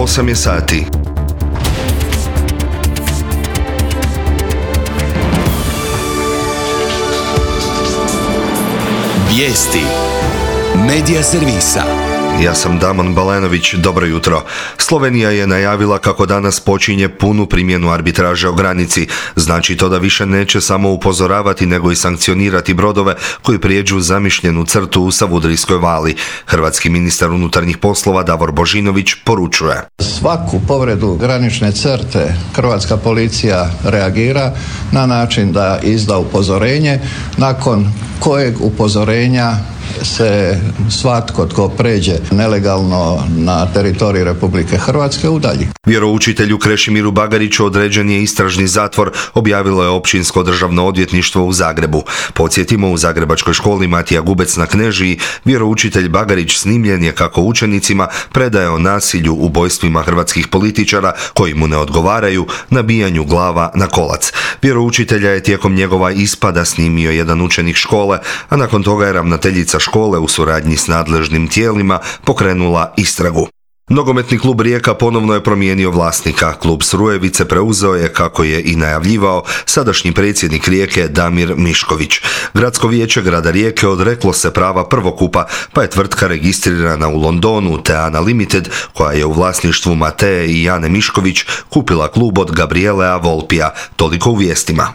8 je sati. Vijesti Medija servisa. Ja sam Damon Balenović, dobro jutro. Slovenija je najavila kako danas počinje punu primjenu arbitraže o granici. Znači to da više neće samo upozoravati nego i sankcionirati brodove koji prijeđu zamišljenu crtu u Savudrijskoj vali. Hrvatski ministar unutarnjih poslova Davor Božinović poručuje: Svaku povredu granične crte hrvatska policija reagira na način da izda upozorenje, nakon kojeg upozorenja se svatko tko pređe nelegalno na teritorij Republike Hrvatske udalji. Vjeroučitelju Krešimiru Bagariću određen je istražni zatvor, objavilo je Općinsko državno odvjetništvo u Zagrebu. Podsjetimo, u zagrebačkoj školi Matija Gubec na Knežiji vjeroučitelj Bagarić snimljen je kako učenicima predaje o nasilju, ubojstvima hrvatskih političara koji mu ne odgovaraju, nabijanju glava na kolac. Vjeroučitelja je tijekom njegova ispada snimio jedan učenik škole, a nakon toga je ravnateljica škole u suradnji s nadležnim tijelima pokrenula istragu. Nogometni klub Rijeka ponovno je promijenio vlasnika. Klub Srujevice preuzeo je, kako je i najavljivao, sadašnji predsjednik Rijeke Damir Mišković. Gradsko vijeće grada Rijeke odreklo se prava prvokupa, pa je tvrtka registrirana u Londonu, Teana Limited, koja je u vlasništvu Mateje i Jane Mišković, kupila klub od Gabrielea Volpija. Toliko u vijestima.